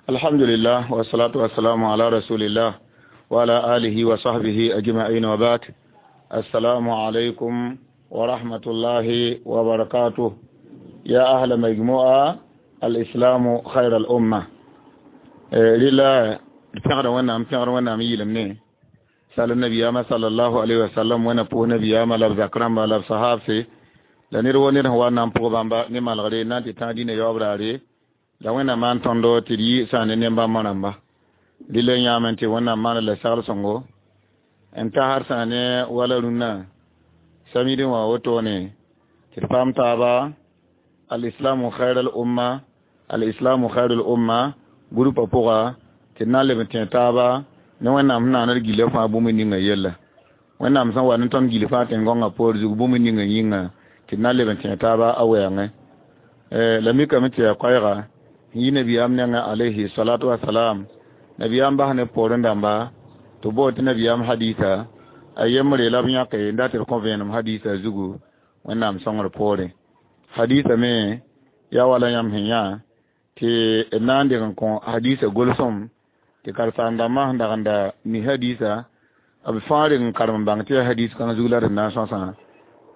Alhamdulillah wa salatu wa salamu ala rasulillah wa ala alihi wa sahbihi ajma'in wa ba'd. Assalamu alaikum wa rahmatullahi wa barakatuh. Ya ahla majmu'a al-islam khayr al-umma. Lila pẽgda Wẽnnaam, pẽgd Wẽnnaam yɩɩlem ne sal nabiyama sallallahu alaihi wasallam, wẽna pʋʋs nabiyama la b zak rãmba la b sahabse la ned wo ned sẽn wa n na n pʋg bãmba ne malgre n na n tɩ tãag dĩnã yaoob raare la Wẽnnaam maan tõndo tɩ d yɩ sã ne ne-bãmbã rãmba. Dɩla yãame tɩ Wẽnnaam maan la sagl sõngo n tasd sã ne wala rũnnã samidi wã wotone tɩ d paam taaba al-islamu khayr al-umma, al-islamu khayr al-umma groupa pʋga tɩ d na n leb n tẽ taaba ne Wẽnnaam sẽn naand d gila fãa bũmb ninga yella. Wẽnnaam sẽn wa ne tõnd gil fãa tẽn-gõngã poor zug bũmb ninga yĩnga tɩ d na n leb n tẽ taaba a wɛɛngẽ. La mikame tɩ yaa koɛɛga n yi nabiyaam nengẽ alayhi salatu wasalam, nabiyaam bas ne poorẽ dãmba tɩ b tɩ nabiyaam hadisa a yembre la b yãke n dat tɩ d kõ vẽenem hadisa zugu Wẽnnaam sõngr poorẽ. Hadisa me yaa wala yãmb sẽn yã tɩ d na n deg n kõ hadisa golsem tɩ karen-saam-dãmbã sẽn dag n da mi hadisa b fãa reng n karem n bãng tɩ yaa hadis kãng zug la d na n sõsã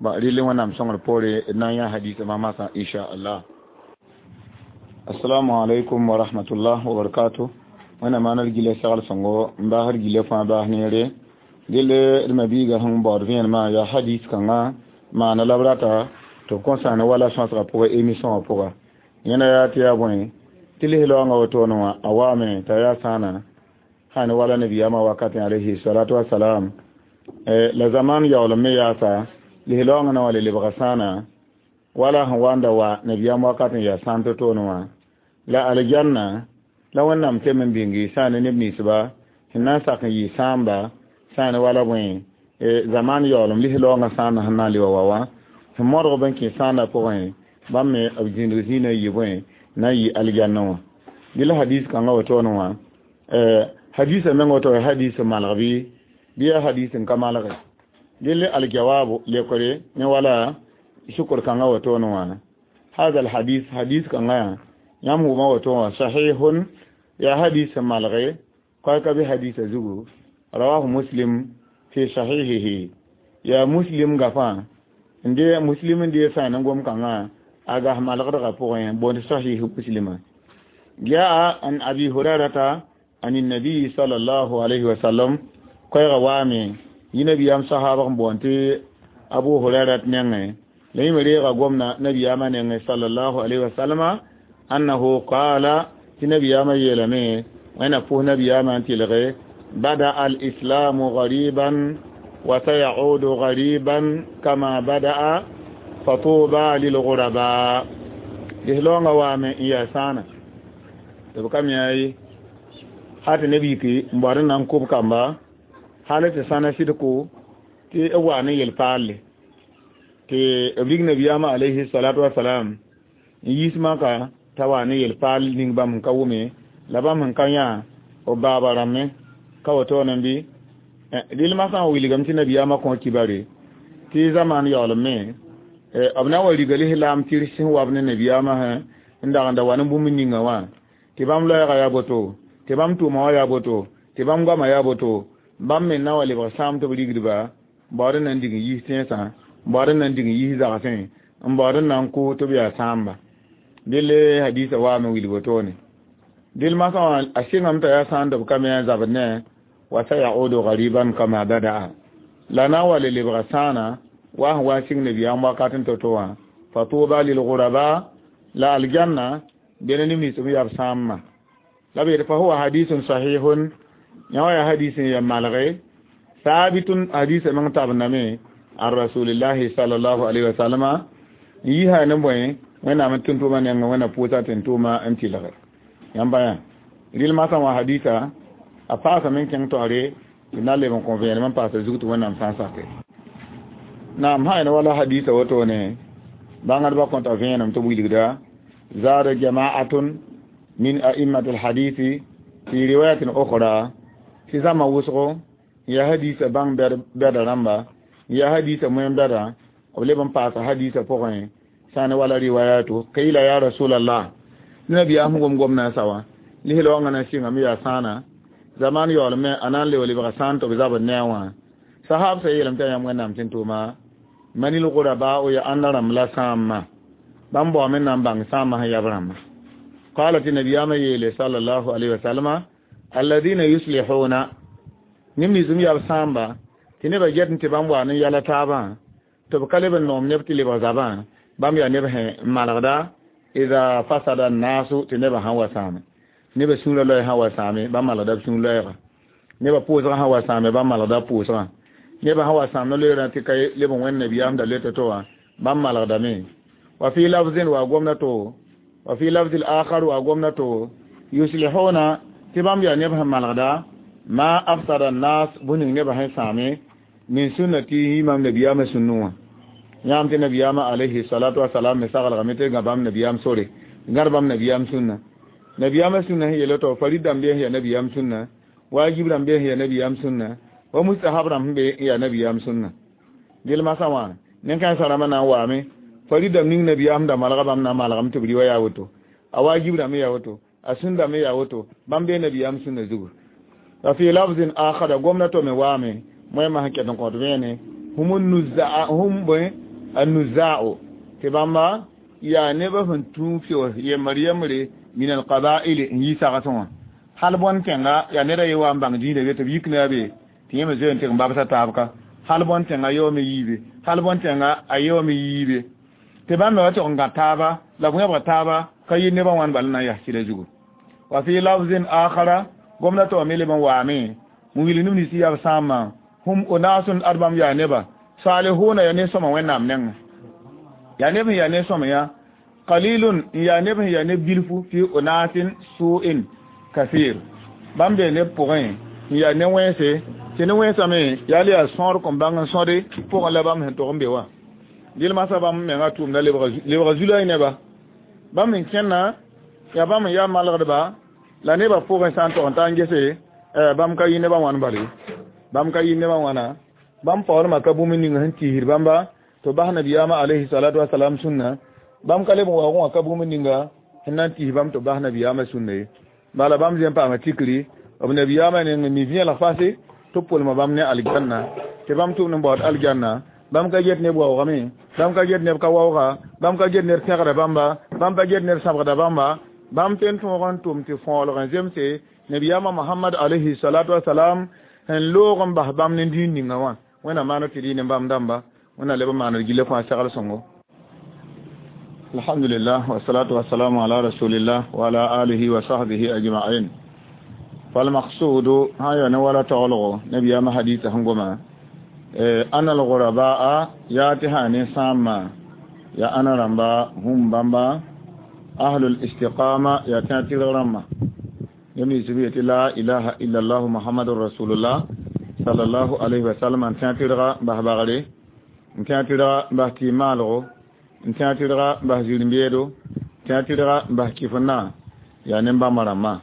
ba rɩl Wẽnnaam sõngr poore d na n yã hadisa masã inchallah. Assalamu alaikum wa rahmatullah wa barakatuh. Wẽnnaam maan d gila sagl sõngo n baasd gila fãa baas neere. Dɩl d mabiiga sẽn baood vẽenemã yaa hadis kãngã maana la b rata tɩ b kõ sã ne wala sõsgã pʋgã émission wã pʋga. Yẽna yaa tɩ yaa bõe tɩ lis-raoongã wotone wã a waame t'a yaa sãana sã ne wala nabiyaamã wakatẽ alayhi salatu wasalam la zaman yaoolem me yaasa lis-raoongã na wa le lebga sãana wala sẽn wa n da wa nabiyaam wakatẽ yaa sãn to-toone wã la aljanna la Wẽnnaam tem n bĩngi sã ne neb ninsba sẽn na n sak n yɩ sãamba sã ne wala bõe zaman yaoolem lis-raoongã sãana sẽn na n le wa wa wã sẽn modg b n kẽ sãanda pʋgẽ bãmb me b zĩndg zĩnã n yɩ bõe na n yɩ aljanna wã. Dɩ la hadis kãngã wotone wã hadisa meng woto hadis malg bɩ yaa hadis n ka malge. Dɩl aljawabu lekore ne wala shukur kãngã wotone wã hada alhadis, hadis kãngã yaa yãmb wʋma woto wã sahihun yaa hadis malge koɛka bɩ hadisa zugu rawahu Muslim fi sahihihi yaa Muslim gafã n de Muslim n dee sã ne gom kãngã a gas malgdgã pʋgẽ boond sahih Muslima. Jaa an Abi Hurairata an النبي صلى الله عليه وسلم koɛɛga waame yɩ nabiyaam sahaabg n boond tɩ Abu Hurairat nengẽ la yẽ me reega gomna nabiyaamã nengẽ sallallahu alayhi wasalama annahu qala tɩ nabiyaamã yeelame wẽna pʋs nabiyaamã n tɩlge bada al-islamu gariban wa sayaudu gariban kama bada'a fatuba lilguraba. Lislaoongã waame n yaa sãana tɩ b ka me yaa ha tɩ neb yiki n baood n na n kʋb kamba hal tɩ sãna sɩdko tɩ b wa ne yel-paalle tɩ b rig nabiyaamã alayhi salatu wasalam n yiis maka t'a wa ne yel-paal ning bãmb sẽn ka wʋme la bãmb sẽn ka yã b baaba rãmbẽ ka wotone bɩ dɩl masã n wilgame tɩ nabiyaamã kõ kibare tɩ zaman yaoolem me b na n wa riga lislaam tɩrs sẽn wab ne nabiyaamã sẽn dag n da wa ne bũmb ninga wã tɩ bãmb loɛɛga yaa boto tɩ bãmb tʋʋma wã yaa boto tɩ bãmb goamã yaa boto bãmb me na wa lebg sãam tɩ b rigdba baood n na n dig n yiis tẽnsã baood n na n dig n yiis zagsẽ n baood n na n kʋ tɩ b yaa sãamba. Dɩl hadisa waame wilg wotone dɩl masã wã a sɩngame t'a yaa sãn tɩ b ka me a zabd ne wa sayaudu gariban kama bada'a la na n wa le lebga sãana wa sẽn wa n sɩng nabiyaam wakat n to-to wã fatuba lilguraba la aljanna bene neb nins b yaa b sãambã la b yetɩ fa huwa hadisun sahihun yã wã yaa hadis n ya malge sabitun hadisa meng tabendame an rasulillahi sallallahu alaihi wasallama n yisa ne bõe Wẽnnaam n tʋm-tʋʋmã nengẽ Wẽnna pʋʋsa tɩ n tʋʋma n tɩlge yãmba yã rɩl masã wã hadisa a paasame n kẽng taoore tɩ na leb n kõ vẽenem n paasa zug tɩ Wẽnnaam sã n sake naam sã wala hadisa wotone bãngdbã kõta vẽenem tɩ b wilgda zaada jama'atun min a'immat alhadisi fi riwayatin ukhra tɩ zãma wʋsgo ya hadisa bãng bɛda rãmba ya hadisa moen bɛda b leb n paasa hadisa pʋgẽ sã ne wala riwayatu qila ya rasulallah nabiyaam gom gomna sawa. Lisl wãngã na sɩngame yaa sãana zaman yaoolme a na n leb lebga sãan tɩ b zabd ne a wã sahab sã yeelame tɩ yaa yãmb wẽnnaam tɩ n tʋʋma manil guraba'u ya ãnda rãmb la sãamã bãmb baoome n na n bãng sãamã sẽn yab rãmba qala tɩ nabiyaamã yeele sallallahu alayhi wa sallama alladina yuslihuna neb nins m yab sãamba tɩ nebã get n tɩ bãmb wa ne yɛla taabã tɩ b ka leb n noom neb tɩ lebg zabã bãmb yaa neb sẽn malgda ida fasada naasu tɩ nebã sãn wa sãame nebã sũurã loɛɛ sãn wa sãame bãmb malgda b sũur loɛɛga nebã pʋʋsgã sãn wa sãame bãmb malgda pʋʋsgã nebã sãn wa sãam no-loeerã tɩ ka leb n wẽnd nabiyaam da le to wã bãmb malgdame wa fi lafzin wa gomna to wa fi lafzi al-akhar wa gomna to yuslihuna tɩ bãmb yaa neb sẽn malgda ma afsada nas bũning nebã sẽn sãame min sunnati imam nabiyaamã sũnnẽ wã yãam tɩ nabiyaamã alayhi salatu wasalam me saglgame tɩ gã bãmb nabiyaam sore gãd bãmb nabiyaam sũnna nabiyaamã sũnna sẽn yeela tɩ farid dãmb bee sẽn yaa nabiyaam sũnna wajib rãmb bee sẽn yaa nabiyaam sũnna wa mustahab rãmb sẽn be n yaa nabiyaam sũnna gel masã wã nen-kãensã rãmbã na n waame farid dãmb ning nabiyaam da malga bãmb na n malgame tɩ b rɩ wa yaa woto a wajib rãmb yaa woto a sũn dãmb yaa woto bãmb bee nabiyaam sũnna zugu wa fi lafzin akhara gomna to me waame moẽmã sẽn ket n kõt vẽene hum bõe annuza'u tɩ bãmba yaa nebã sẽn tũ feo yembr yembre min alqaba'il n yi sagsẽ wã hal bõn tẽnga yaa neda ye wa n bãng dĩinã be tɩ b yik ne a be tɩ yẽ me zoe n tɩg n babsa taab ka hal bõn tẽnga yaoome yiibe hal bõn tẽnga a yaoome yiibe tɩ bãmb me wa tɩg n gã taaba la b wẽbga taaba ka yɩ nebã wãn bal na n yas sɩda zugu wa fi lafzin akhara gomna tɩ wa me leb n waame n wilg neb nins yaa b sãambã hum unasun ad bãmb yaa neba salihuna yaa ne-sõma wẽnnaam nengẽ yaa neb sẽn yaa ne-sõma yã qalilun n yaa neb sẽn yaa neb bilfu fi unasin su'in kathir bãmb bee neb pʋgẽ n yaa ne-wẽnse tɩ ne-wẽnsame yaa le yaa sõor kõn bãng n sõde pʋgẽ la bãmb sẽn tog n be wã dɩl masã bãmb menga tʋʋmda lebga zulay neba bãmb n kẽnna yaa bãmb n yaa malgdba la nebã pʋgẽ sã n tog n ta n gese bãmb ka yɩ nebã wãn bale bãmb ka yɩ nebã wãna bãmb paoodmã ka bũmb ning sẽn tiisd bãmba tɩ bas nabiyaamã alayhi salatu wasalam sũnna bãmb ka leb n waoogẽ wã ka bũmb ninga sẽn na n tiis bãmb tɩ bas nabiyaamã sũnna ye bala bãmb zẽ n paama tikri b nabiyaamã neng mi vẽelg fase tɩ b pʋlma bãmb ne aljanna tɩ bãmb tʋmd n baood aljanna bãmb ka get neb waoogame bãmb ka get neb ka waooga bãmb ka get ned pẽgda bãmba bãmb pa get ned sãbgda bãmba bãmb tõe n tõog n tʋm tɩ fõolg n zemse nabiyaamã mohamad alayhi salatu wasalam sẽn loog n bas bãmb ne dĩin ninga wã wẽnnaam maana tɩ rɩ ne bãmb dãmba wẽnnaam leb n maaned gilla fãa segl sõngo alhamdulillah wasalatu wasalamu ala rasulillah wa ala alihi wa sahbihi ajma'in falmaqsudu sã n ya ne wala taglgo nabiyaamã hadisa sẽn goma ana alghuraba'a yaa tɩ sã ne sãambã yaa ãna rãmba hum bãmba ahlul istiqama yaa tẽa tɩrg rãmbã neb nins b yetɩ la ilaha illallah muhammadun rasulullah sallallahu alayhi wa sallam n tẽa tɩrga n bas bagre n tẽa tɩrga n bas tɩ maalgo n tẽa tɩrga n bas zir-n-beedo n tẽa tɩrga n bas kɩf-n-na yaa nen-bãmba rãmbã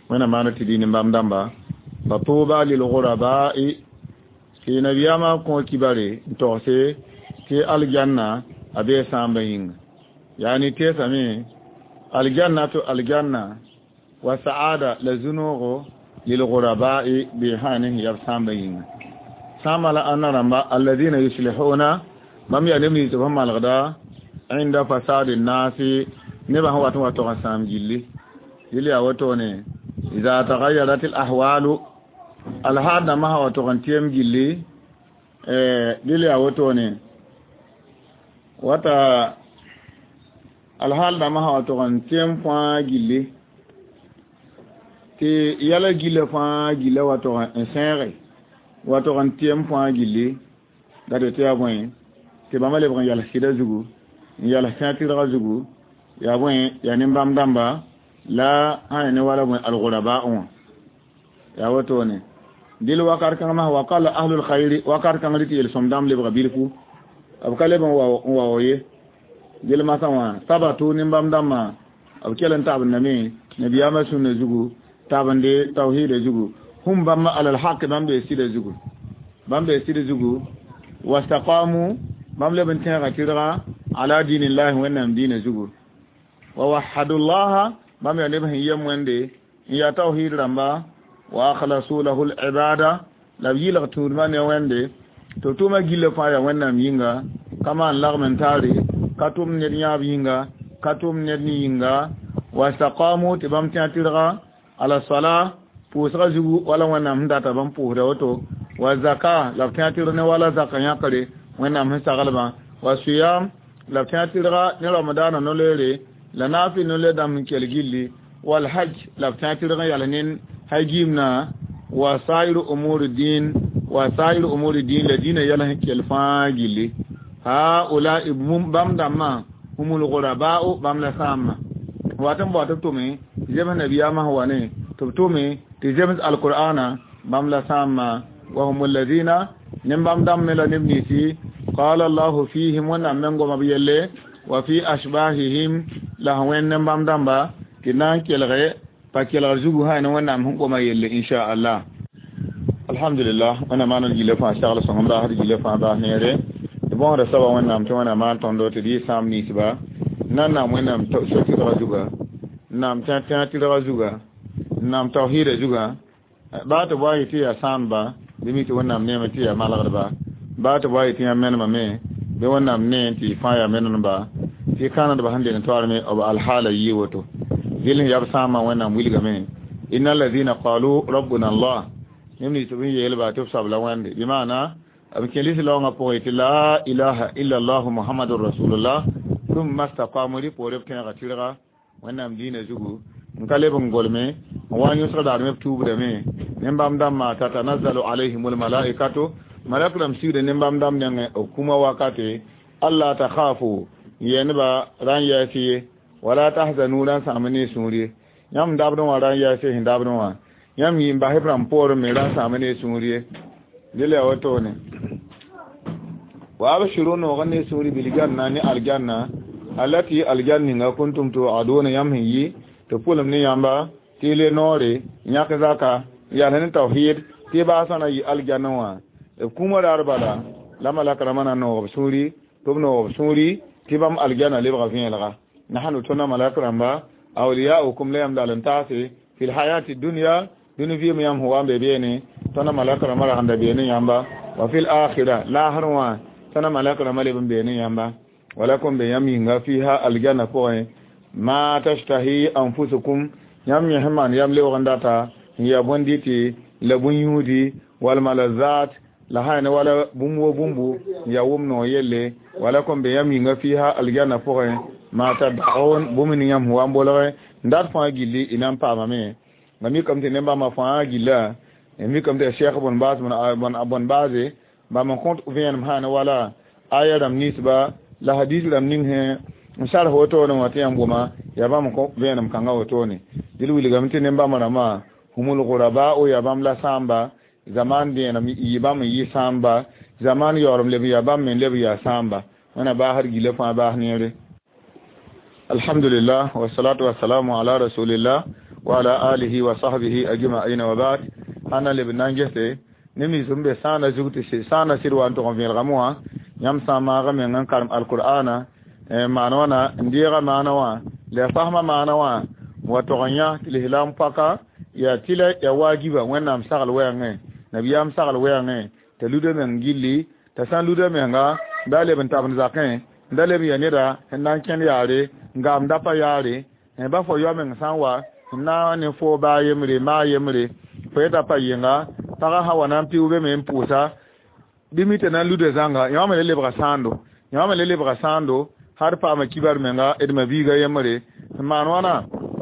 wẽnnaam maana tɩ dɩ nen-bãmb dãmba fa tuba lilguraba'i tɩ nabiyaamã kõ kibare n togse tɩ aljanna a bee sãambã yĩnga yaani teesame aljannatu aljanna wa sa'ada la zunoogo lilguraba'i bee sã ne sẽn yab sãambã yĩnga sãambã la ãnna rãmba alladina yuslihuna bãmb yaa neb nins b sẽn malgda inda fasadi nasi nebã sẽn wat n wa tog n sãam gilli yel yaa wotone ida tagayarat al ahwalu alhaal dãmbã sã wa tog n tɩɛm gilli dɩl yaa wotone wata alhaal dãmbã sã wa tog n tɩɛm fãa gilli tɩ yɛla gilla fãa gilla wa tog n sẽege wa tog n tɩɛm fãa gilli la tɩ tɩ yaa bõe tɩ bãmba lebg n yals sɩda zugu n yals tẽa tɩrga zugu yaa bõe yaa nin-bãmb dãmba la sã ya ne wala bõe alguraba wã yaa wotone dɩl wakat kãng masã wa qala ahlul khayri wakat kãng rɩ tɩ yel-sõm dãmb lebga bilfu b ka leb n wao ye dɩl masã wã sabatu nin-bãmb dãmbã b kell n tabendame nabiyaamã sũnna zugu tabende tawhida zugu hum bãmba alal haq bãmb bee sɩda zugu bãmb bee sɩda zugu wastaqamu bãmb leb n tẽega tɩrga ala dinillahi wẽnnaam diinã zugu wa wahadullaha bãmb yaa neb sẽn yem wẽnde Ya tawhid rãmba wa akhlasu lahu al-ibada la b yɩlg tũudmã ne Wẽnde tɩ b tʋʋmã gillã fãa yaa Wẽnnaam yĩnga ka maan lagm n taare ka tʋm ned yãab yĩnga ka tʋm ned ne yĩnga wa staqamu tɩ bãmb tẽ tɩrga ala sala pʋʋsga zugu wala Wẽnnaam sẽn data bãmb pʋʋsda woto wa zaka la b tẽ tɩrg ne wala zaka yãkre Wẽnnaam sẽn saglbã wa siyam la b tẽ tɩrga ne ramadaana no-loeere la naafɩ no-loe dãmb sẽn kell gilli wal hajj la b tẽ tɩrg n yals ne hay-giimna wa sair umuri din wa sair umuri din la dĩnã yɛl sẽn kell fãa gilli haulai bãmb dãmbã humul ghuraba'u bãmb la sãambã wat n bao tɩ b tʋme zems nabiyaamã sẽn wa ne tɩ b tʋme tɩ zems alqur'ana bãmb la sãambã wa hum alladhina nin-bãmb dãmb me la neb ninsi qala Allahu fihim Wẽnnaam meng goma b yelle wa fi ashbahihim la sẽn wẽnd nin-bãmb dãmba tɩ na n kelge pa kelgr zugu sã ne Wẽnnaam sẽn goma yelle inchallah. Alhamdulillah, Wẽnnaam maan d gilla fãa sagl sõngem baasd gilla fãa baas neere tɩ bõosda soaba Wẽnnaam tɩ Wẽnnaam maan tõndo tɩ d yɩ sãam ninsba nan naam Wẽnnaam so-tɩrga zuga naam tẽ tɩrga zuga naam tawhiida zuga baa tɩ baa yetɩ tɩ yaa sãamba bɩ mi tɩ Wẽnnaam neeme tɩ yaa malgdba baa tɩ baa yetɩ yã menema me bɩ Wẽnnaam nee tɩ fãa yaa menemba tɩ kãnedba sẽn deng toaarme b alhaala yɩ woto dɩl sẽn yab sãambã Wẽnnaam wilgame inna alladhina qalu rabbuna Allah neb nins tɩ b yeelba tɩ b soab la Wẽnde bɩ maana b kẽ lislaoongã pʋgẽ tɩ la ilaha illa allah muhammadun rasulullah thumma staqamu rɩ poore b tẽega tɩrga Wẽnnaam diinã zugu n ka leb n golme n wa n yõsg daarme b tuubdame nin-bãmb dãmbã tatanazzalu alayhim almalaikatu malak rãmb sigda nin-bãmb dãmb nengẽ b kũmã wakate alla takhafu yɛnba ra n yɛɛs ye wala tahzanu ra n sãam ne sũur ye yãmb dabdẽ wã ra n yɛɛs sẽn dabdẽ wã yãmb yĩm basb rãmb poorẽ me ra n sãam ne sũur ye dɩla yaa wotone wa abshiru noog ne sũuri biljanna ne aljanna allati aljanna ninga kuntum tu'aduna yãmb sẽn yi tɩ pʋlem ne yãmba tɩ y le noore yãk zaka yals ne tawhid tɩ y baasã na yɩ aljanna wã b kũumã raar bala la malak rãmbã na noog b sũuri tɩ b noog b sũuri tɩ bãmb aljanna lebga vẽelga nahnu tõndã malak rãmba awliyaukum la yãmb dal n taase fi lhayati dunya dũni vɩɩm yãmb sẽn wa n be beene tõndã malak rãmbã ragenda beene yãmba wa fi lakhira laasr wã tõndã malak rãmbã leb n beene yãmba walakum be yãmb yĩnga fiha aljanna pʋgẽ ma tashtahi anfusukum yãmb yẽ sẽn maan yam lebg n data n yaa bõn-dɩtɩ la bõn-yũudi walmalazat la sã ne wala bũmb wo bũmbu n yaa wʋm noog yelle walakum be yãmb yĩnga fiha aljanna pʋgẽ ma tad'un bũmb ning yãmb sẽn wa n bolge n dat fãa gilli y na n paamame ma mikame tɩ neb-bãmbã fãa gilla mikame tɩ cheikh bõn baas bõn baase bãmb n kõt vẽenem sã ne wala aya rãmb ninsba la hadis rãmb ning sẽ n sarf wotone wã tɩ yãmb goma yaa bãmb n kõ vẽenem kãngã wotone dɩl wilgame tɩ neb-bãmb rãmbã humul ghuraba'u yaa bãmb la sãamba zaman dẽenem yɩ bãmb n yɩ sãamba zaman yaoolem leb yaa bãmb me leb yaa sãamba Wẽnna baasd gilla fãa baas neere. Alhamdulillah wasalatu wasalamu ala rasulillah wa ala alihi wa sahbihi ajma'in wa ba'd ãnna leb n na n gese neb nins n be sãana zug tɩ sãana sɩd wa n tʋg n vẽelgame wã yãmb sã n maag meng n karem alqur'ana maan wãna n deega maana wã la fasma maana wã wa tog n yã tɩ lislaam paka yaa tɩla yaa waajiba Wẽnnaam sagl wɛɛngẽ nabiyaam sagl wɛɛngẽ t'a luda meng gilli t'a sã n luda menga da leb n tabend zakẽ n da leb n ya neda sẽn na n kẽnd yaare n gaam da pa yaare ba fo yao meng sã n wa n na ne fo baa yembre maa yembre fo yeta pa yɩnga pagã sã wa na n pɩʋ be me n pʋʋsa bɩ mi tɩ na n luda zãnga yã me le lebga sãando yã me le lebga sãando har paama kibar menga d ma biiga yembre n maan wãna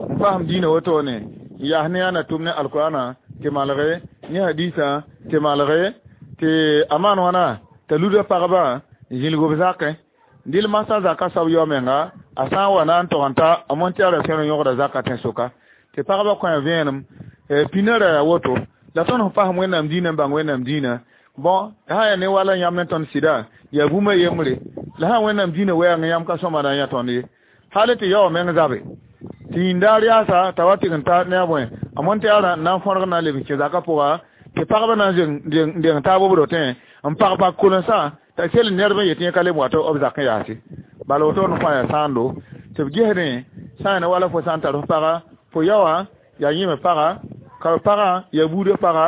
n fasem diinã wotone n yaas ne yaa na tʋm ne alqur'ana tɩ malge ne hadisã tɩ malge tɩ a maan wãna t'a luda pagba zĩlg b zakẽ dɩl masã zaka soab yao menga a sã n wa na n tog n ta a montɩara fẽr n yõgda zaka tẽn-soka tɩ pagba kõ vẽenem pĩnã ra yaa woto la tõnd sẽn fasem Wẽnnaam diinã n bãng Wẽnnaam diinã bõn sã yaa ne wala yãmb ne tõnd sɩda yaa bũmba yembre la sã Wẽnnaam diinã wɛɛngẽ yãmb ka sõma na n yã tõnd ye hal tɩ yaoog meng zabe tɩ yĩndaar yaasa t'a wa tɩg n ta ne a bõe a montɩara n na n fõrg na n leb n kẽ zakã pʋga tɩ pagba na n deng taab b rotẽ n pag pag kolensã t'a sel ned n yetɩ yẽ ka leb wa tɩ b zak n yaase bala woto ne fãa yaa sãando tɩ b gesdẽ sã n wala fo sã n tar f paga fo yaoã Yaa yẽme pagã ka pagã yaa buudã pagã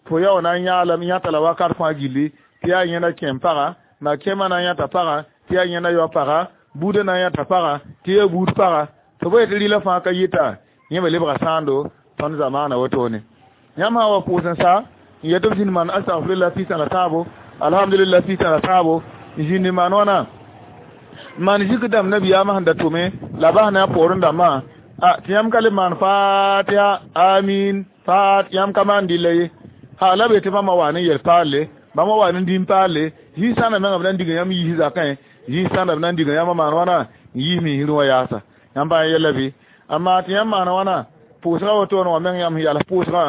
fo ya wa na n yãalam yãta la wakat fãa gilli tɩ yaa yẽnda kẽem pagã ma kẽemã na n yãta pagã tɩ yaa yẽnda yao pagã buudã na n yãta pagã tɩ yaa buud pagã tɩ b yetɩ rɩla fãa ka yɩta yẽ me lebga sãando tõnd zamaana wotone yãmb sã n wa pʋʋs n sa n yet b zĩnd maan astagfirullah pis la tãabo alhamdulillah pis la tãabo n zĩnd n maan wãna maan zikr dãmb nabiyaamã sẽn da tʋme la bas ne a poorẽ dãmbã a tɩ yãmb ka le maan fatiha amin fat yãmb ka maan dɩlla ye ha la be tɩ bãmba wa ne yel paalle bãmba wa ne dĩm paalle zĩig sãnda menga b na n diga yãmb yiis zakẽ zĩig sãnda b na n diga yãmb maan wãna n yiis misrẽ wã yaasa yãmb bã yɛla bɩ amma tɩ yãmb maana wãna pʋʋsgã wotone wã meng yãmb sẽn yals pʋʋsgã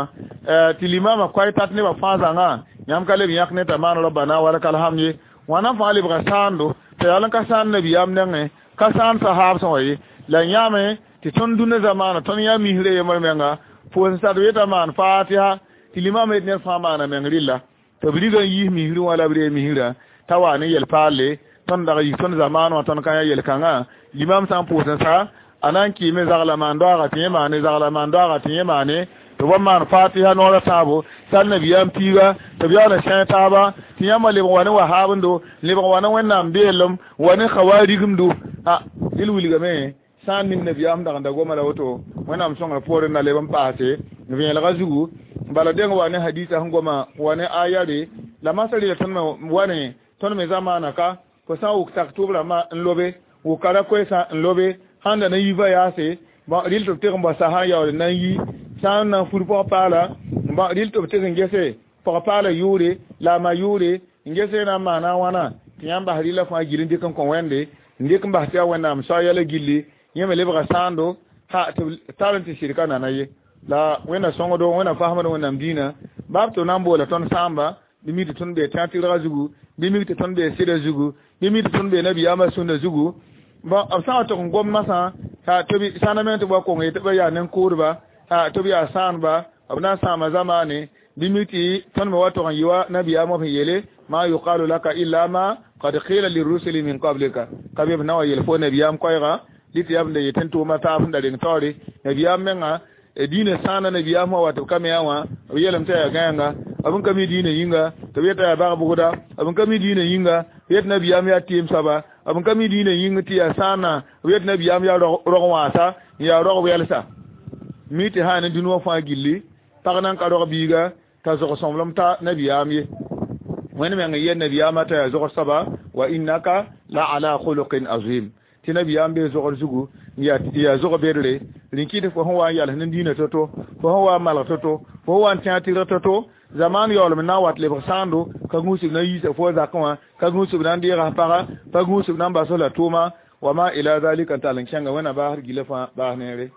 tɩ limama koay tat nebã fãa zãngã yãmb ka leb yãk ne t'a maan rabbana walakal hamd ye wãna fãa lebga sãando t'a yaool n ka sãan nabiyaam nengẽ ka sãan sahaab sã wã ye la yãame tɩ tõnd dũnna zamaana tõnd yã misrã yembr menga pʋʋs n sad yetã maan fatiha tɩ limama yet ned fãa maana meng rɩlla tɩ b riga n yiis misrẽ wã la b ree misrã t'a wa ne yel paalle tõnd dag yik tõnd zamaan wã tõnd ka yã yel-kãngã limam sã n pʋʋs n sa a na n kɩɩme zagla maan doaaga tɩ yẽ maane zagla maan doaaga tɩ yẽ maane tɩ b maan fatiha noorã tãabo sal nabiyaam piiga tɩ b yaool n sẽeg taaba tɩ yãmba lebg wa ne wahaabendo lebg wa ne wẽnnaam beelem wa ne khawaarigimdo a dɩl wilgame sã n ning nabiyaam dag n da goma la woto wẽnnaam sõngr poorẽ na leb n paase vẽelgã zugu bala deng wa ne hadisa sẽn goma wa ne ayare la masã rɩla tõnd me wa ne tõnd me zamaana ka fo sã n wʋk sak tʋʋb rãmbã n lobe wʋka ra koɛɛsã n lobe sãn da na yi va yaase rɩl tɩ b teg n bao sasã n yaool n na n yi sã n na n fur pɔg-paala rɩl tɩ b teg n gese pɔg-paala yʋʋre la a ma yʋʋre n gese na n maana a wãna tɩ yãmb bas rɩla fãa gil n dɩk n kõ wẽnde n dɩk n bas tɩ yaa wẽnnaam soa yɛla gilli yẽ me lebga sãando ha tɩ b tar n tɩ sɩdka nana ye la wẽnna sõngdo wẽnna fasmd wẽnnaam dĩinã baab tɩ b na n boola tõnd sãamba bɩ mi tɩ tõnd bee tẽg tɩrgã zugu bɩ mik tɩ tõnd bee sɩda zugu bɩ mi tɩ tõnd bee nabiyaamã sũnda zugu bon b sã n wa tʋg n gom masã tɩ b sãna meng tɩ b wa kong ye tɩ b yaa nen-kʋʋdba tɩ b yaa sãanba b na n sãama zamaane bɩ mi tɩ tõnd me wa tʋg n yɩ wa nabiyaamã sẽn yeele ma yuqalu laka illa ma qad qila lirrusuli min qablika ka be b na wa yel fo nabiyaam koɛɛga dɩ tɩ yaa b da yetɩ n tʋʋma taab sẽn da reng taoore nabiyaam menga diinã sãana nabiyaam wã wa tɩ b ka me yaa wã b yeelame tɩ yaa gãenga b n ka mi diinã yĩnga tɩ b yeta yaa bag-bʋgda b n ka mi diinã yĩnga b yet nabiyaam yaa tɩɩm soaba b n ka mi diinã yĩng tɩ yaa sãana b yet nabiyaam yaa rog wãasa n yaa rog wɛlsa mi tɩ sã ne dũni wã fãa gilli pag nan ka rog biiga t'a zog sõmblem ta nabiyaam ye wẽnd meng n yel nabiyaamã t'a yaa zogr soaba wa innaka la ala khuluqin azim tɩ nabiyaam bee zogr zugu n yaa zog bedre rĩn kɩt fo sẽn wa n yals ne diinã to-to fo sẽn wa n malg to-to fo sẽn wa n tẽag tɩrg to-to zaman yaoolem n na n wat lebg sãando ka gũusb na n yiisa fo zakẽ wã ka gũusb na n deega paga pa gũusb na n bas la tʋʋma wa ma ila zalika n tall n kẽnga wẽnna baasd gilã fãa baas neere.